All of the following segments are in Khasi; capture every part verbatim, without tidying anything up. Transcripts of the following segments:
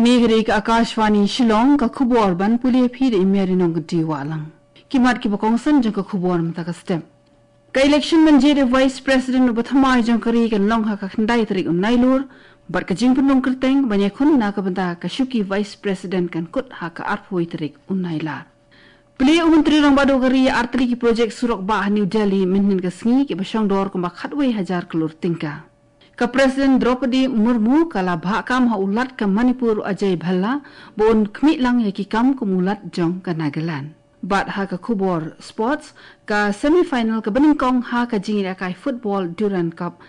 Kane ka dei ka Akashvani Shillong, ka khubor ban pule phi da i Mary Nongkynrih Wahlang. Ki mat kiba kongsan jong ka khubor mynta ka step. Ka election ban jied ïa u Vice President uba thymmai jong ka ri kan long ha ka khyndai tarik u Nailur, bad ka jingpynrung kyrteng ban ïakhun na ka bynta ka shuki Vice President kan kut ha ka arphew tarik u Nailar. Plie u Myntri Rangbah Duh ka ri ïa artylli ki projek surok bah ha New Delhi mynhynnin ka sngi kiba shongdor kumba khatwei hajar klur tyngka. Ka President Droupadi Murmu ka la bhah kam ha u Lat ka Manipur u Ajay Bhalla ba un khmih lang ïa ki kam kum u Lat jong ka Nagaland. Bad ha ka khubor sports, ka semi-final kaba nyngkong ha ka jingïalehkai football Durand Cup,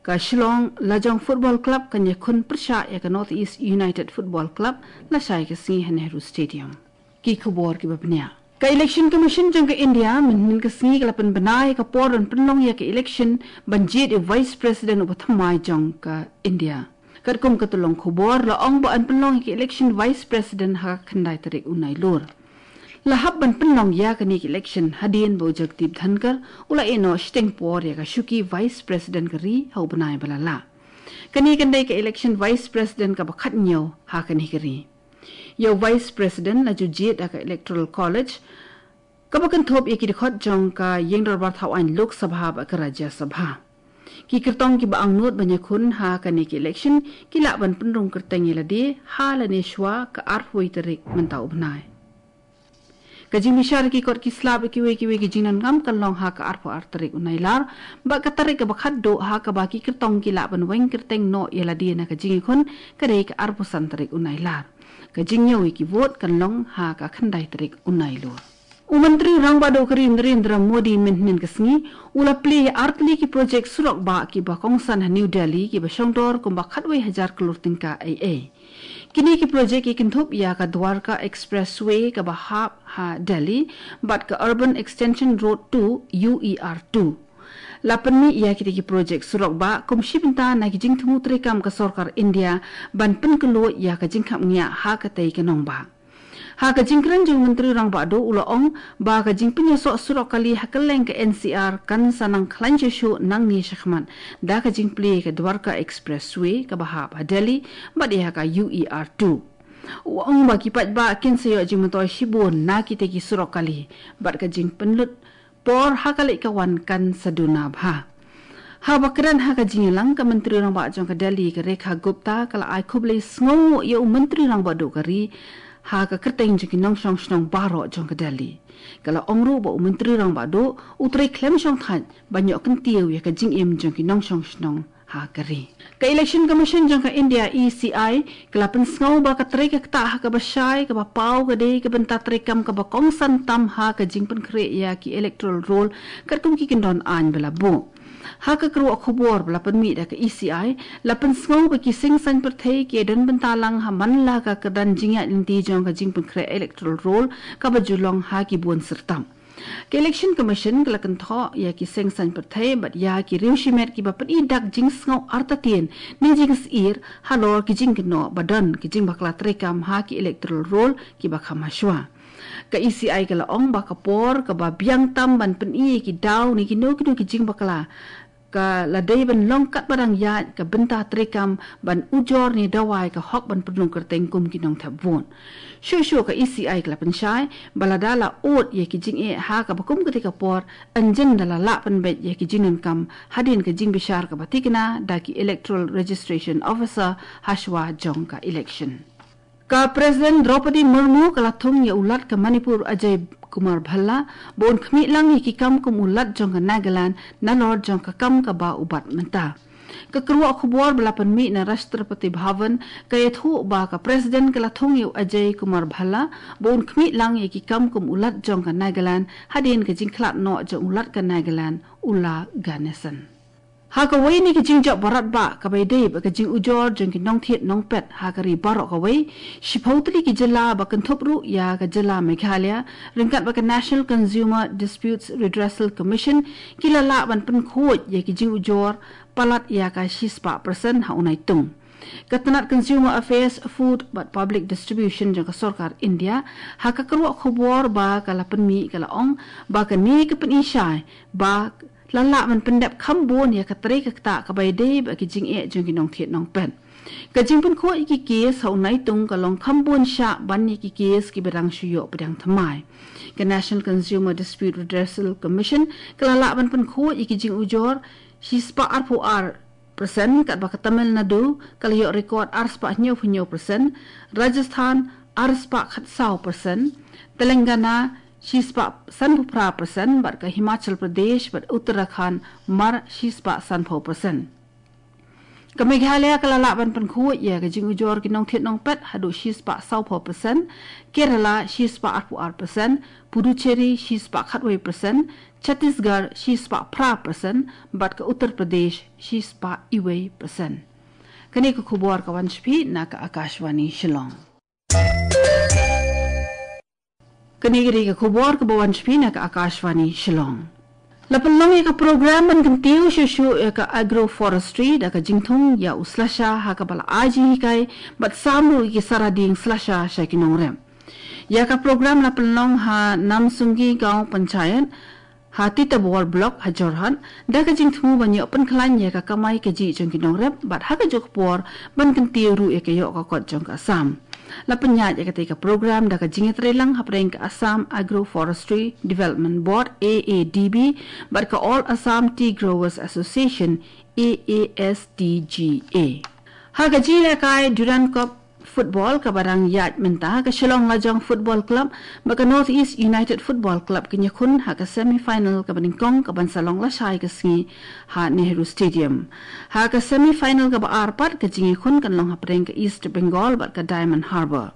ka Shillong Lajong Football Club kan ïakhun pyrshah ïa ka North East United Football Club lashai ka sngi ha Nehru Stadium. Ki khubor kiba bniah. Ka Election Commission jong ka India mynhynnin ka sngi ka la pynbna ïa ka por ban pynlong ïa ka election ban jied ïa u Vice President uba thymmai jong ka India. Katkum ka tyllong khubor la ong ba yn pynlong ïa ka election Vice President ha ka khyndai tarik u Nailur. La hap ban pynlong ïa kane ka election hadien ba u Jagdeep Dhankhar u la ïehnoh shiteng por ïa ka shuki Vice President ka ri ha u bnai ba la leit. Kane kan dei ka election Vice President kaba khathynñiew ha kane ka ri. Ïa u Vice President la ju jied ha ka Electoral College kaba kynthup ïa ki dkhot jong ka ïingdorbar thaw aiñ Lok Sabha bad ka Rajya Sabha. Ki kyrtong kiba angnud ban ïakhun ha kane ka election ki lah ban pynrung kyrteng ïa lade ha lane shuwa ka arphew tarik mynta u bnai. Ka jingbishar ki kot ki slap ïa kiwei kiwei ki jingdonkam kan long ha ka arphew ar tarik u Nailar, bad ka tarik kaba khatduh ha kaba ki kyrtong ki lah ban weng kyrteng noh ïa lade na ka jingïakhun ka dei ka arphew san tarik u Nailar. Ka jingñiew ïa ki vote kan long ha ka khyndai tarik u Nailur. U Myntri Rangbah Duh ka ri Narendra Modi mynhynnin ka sngi u la plie ïa artylli ki projek surok bah kiba kongsan ha New Delhi kiba shongdor kumba khatwei hajar klur tyngka ei ei. Kine ki projek ki kynthup ïa ka Dwarka Expressway kaba hap ha Delhi bad ka Urban Extension Road two, U E R two. La pynmih ïa kine ki projek surok bah kum shi bynta na ki jingthmu treikam ka sorkar India ban pynkhlaiñ ïa ka jingkhapngiah ha katei ka nongbah. Ha ka jingkren jong u Myntri Rangbah Duh u la ong ba ka jingpynïasoh surok kali ha kylleng ka N C R kan sa nang khlaiñ shuh shuh nangne shakhmat da ka jingplie ka Dwarka Expressway kaba hap ha Delhi bad ïa ka U E R two. U ong ba ki paidbah kin sa ïoh jingmyntoi shibun na kitei ki surok kali bad ka jingpynlut por ha ka leit ka wan kan sa duna bha. Haba kren ha ka jingïalang ka Myntri Rangbah jong ka Delhi ka Rekha Gupta ka la ai khublei sngewnguh ïa u Myntri Rangbah Duh ka ri ha ka kyrteng jong ki nongshong shnong baroh jong ka Delhi. Ka la ong ruh ba u Myntri Rangbah Duh u trei khlem shongthait ban ïoh kyntiew ïa ka jingim jong ki nongshong shnong ha ka ri. Ka Election Commission jong ka India, E C I, ka la pynsngew ba ka trei ka ktah ha kaba shai kaba paw ka dei ka bynta treikam kaba kongsan tam ha ka jingpynkhreh ïa ki electoral roll katkum ki kyndon aiñ ba la buh. Ha ka kyrwoh khubor ba la pynmih da ka E C I, la pynsngew ba ki seng saiñ pyrthei ki don bynta lang ha man la ka kyrdan jingïaid lynti jong ka jingpynkhreh electoral roll kaba ju long ha ki bun syrtap. Ka Election Commission ka la kynthoh ïa ki seng saiñ pyrthei bad ïa ki riew shimet kiba pyni dak jingsngew artatien ne jingsyier halor ki jingkynnoh ba don ki jingbakla treikam ha ki electoral roll kiba kham hashwa. Ka E C I ka la ong ba ka por kaba biang tam ban pyni ïa ki daw ne kino kino ki jingbakla ka la dei ban long katba dang ïaid ka bynta treikam ban ujor ne dawai ka hok ban pynrung kyrteng kum ki nongthep vote. Shuh shuh ka E C I ka la pynshai ba lada la ud ïa ki jingeh ha kaba kum katei ka por, ynjin da la lah pynbeit ïa ki jingdonkam hadien ka jingbishar kaba thikna da ki Electoral Registration Officer hashwa jong ka election. Ka President Droupadi Murmu ka la thung ïa u Lat ka Manipur Ajay Kumar Bhalla ba un khmih lang ïa ki kam kum u Lat jong ka Nagaland nalor jong ka kam kaba u bat mynta. Ka kyrwoh khubor ba la pynmih na Rashtrapati Bhavan ka ïathuh ba ka President ka la thung ïa u Ajay Kumar Bhalla ba un khmih lang ïa ki kam kum u Lat jong ka Nagaland hadien ka jingkhlad noh jong u Lat ka Nagaland u La Ganesan. Ha kawei na ki jingjop baroh ba kaba ïadei bad ka jingujor jong ki nongthied nongpet ha ka ri baroh kawei, shiphew tylli ki jylla ba kynthup ruh ïa ka jylla Meghalaya ryngkat bad ka National Consumer Disputes Redressal Commission ki la lah ban pynkhuid ïa ki jingujor palat ïa ka shispah percent ha u Naitung. Ka tnat Consumer Affairs, Food bad Public Distribution jong ka sorkar India ha ka kyrwoh khubor ba ka la pynmih ka la ong ba kane ka pyni shai ba la lah ban pyndep kham bun ïa ka trei ka ktah kaba ïadei bad ki jingeh jong ki nongthied nongpet. Ka jingpynkhuid ïa ki kes ha u naitung ka long kham bun shah ban ïa ki kes kiba dang shu ïoh pdiang thymmai. Ka National Consumer Dispute Redressal Commission ka la lah ban pynkhuid ïa ki jingujor shispah arphew ar persen, katba ka Tamil Nadu ka la ïoh record arspah hynñiewphew hynñiew persen, Rajasthan arspah khatsaw persen, Telangana shispah sanphew phra persen, bad ka Himachal Pradesh bad Uttarakhand mar shispah sanphew persen. Ka Meghalaya ka la lah ban pynkhuid ïa ka jingujor ki nongthied nongpet haduh shispah sawphew persen, Kerala shispah arphew ar persen, Puducherry shispah khatwei persen, Chhattisgarh shispah phra persen, bad ka Uttar Pradesh shispah iwei persen. Kane ka khubor ka wan sha phi na ka Akashvani Shillong. Kane ka dei ka khubor kaba wan sha phi na ka Akashvani Shillong. La pynlong ïa ka program ban kyntiew shuh shuh ïa ka agroforestry da ka jingthung ïa u slasha ha kaba la ai jinghikai bad sam ruh ïa ki sara dieng slasha sha ki nongrep. Ïa ka program la pynlong ha Namsunggi Gaon Panchayat, ha Titawar Block, ha Jorhat, da ka jingthmu ban ïoh pynkhlaiñ ïa ka kamai kajih jong ki nongrep, bad ha kajuh ka por ban kyntiew ruh ïa ka ïoh ka kot jong ka Assam. La pynïaid ïa katei ka program da ka jingïatreilang hapdeng ka Assam Agroforestry Development Board, A A D B, bad ka All Assam Tea Growers Association, A A S T G A. Ha ka jingïalehkai Durand Cup Football kaba dang ïaid mynta, ka Shillong Lajong Football Club bad ka North East United Football Club kin ïakhun ha ka semi final kaba nyngkong kaban sa long lashai ka sngi ha Nehru Stadium. Ha ka semi final kaba ar pat, ka jingïakhun kan long hapdeng ka East Bengal bad ka Diamond Harbour.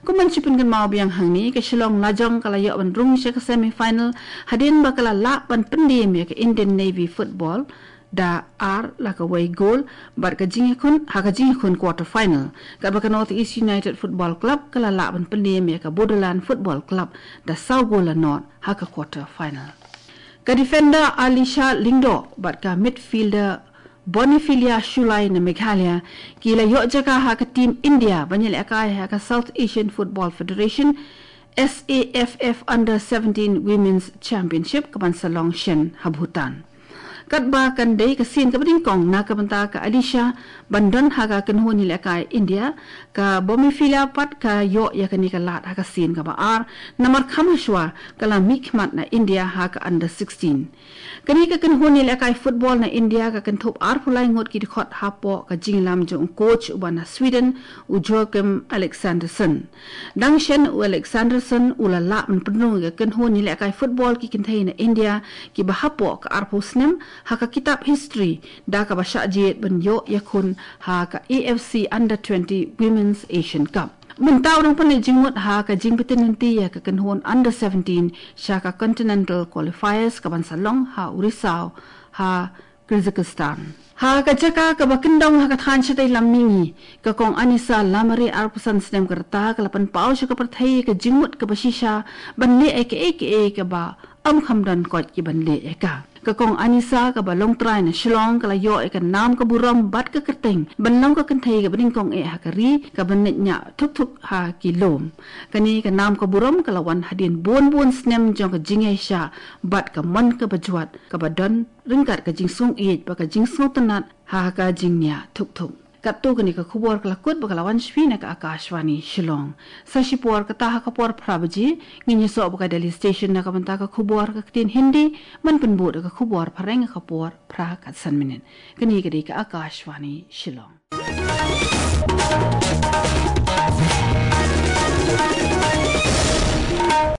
Kum ban shu pynkynmaw biang hangne, ka Shillong Lajong ka la ïoh ban rung sha ka semi final hadien ba ka la lah ban pyndem ïa ka Indian Navy Football da ar la kawei gol, bad ka jingïakhun, ha ka jingïakhun quarter final, katba ka North East United Football Club ka la lah ban pyndem ïa ka Bodoland Football Club da saw gol la nod ha ka quarter final. Ka defender Alisha Lyngdoh bad ka midfielder Bonifilia Shullai na Meghalaya ki la ïoh jaka ha ka team India ban ïalehkai ha ka South Asian Football Federation, S A F F Under seventeen Women's Championship kaban sa long shen ha Bhutan. Katba kan dei ka sien kaba nyngkong na ka bynta ka Alisha ban don ha ka kynhun ïalehkai India, ka Bonifilia pat ka ïoh ïa kane ka lad ha ka sien kaba ar, namar kham hashwa ka la mihkhmat na India ha ka Under sixteen. Kane ka kynhun ïalehkai football na India ka kynthup arphew lai ngut ki dkhot hapoh ka jingïalam jong u coach uba na Sweden, u Joachim Alexandersson. Dang shen u Alexandersson u la lah ban pynrung ïa ka kynhun ïalehkai football ki kynthei na India kiba hapoh ka arphew snem ha ka kitab history, da kaba shah jied ban ïoh ïakhun ha ka A F C Under twenty Women's Asian Cup. Mynta u dang pynleit jingmut ha ka jingpyntip lynti ïa ka kynhun Under seventeen sha ka Continental Qualifiers kaban sa long ha u Rizhao ha Kyrgyzstan. Ha ka jaka kaba kyndong ha ka thaiñ shatei lam mihngi, ka Kong Anisa Lamare, arphew san snem ka rta, ka la pynpaw sha ka pyrthei ïa ka jingmut kaba shisha ban leh ïa kaei kaei kaba ym kham don koit ki ban leh ïa ka. Ka Kong Anisa kaba long trai na Shillong ka la ïoh ïa ka nam ka burom bad ka kyrteng ban long ka kynthei kaba nyngkong eh ha ka ri kaba neh ñiah thuk thuk ha ki lum. Kane ka nam ka burom ka la wan hadien bun bun snem jong ka jingïaishah bad ka mon kaba jwat kaba don ryngkat ka jingsngewsih bad ka jingsngewtynnat ha ka jingñiah thuk thuk. Katto kane ka khubor ka la kut bad ka la wan sha phi na ka Akashvani Shillong. Sa shipor kata ha ka por phra baje ngin ïasoh bad ka Delhi Station na ka bynta ka khubor ka ktien Hindi, ban pynbud ka khubor phareng ha ka por phra kat san minit. Kane ka dei ka Akashvani Shillong.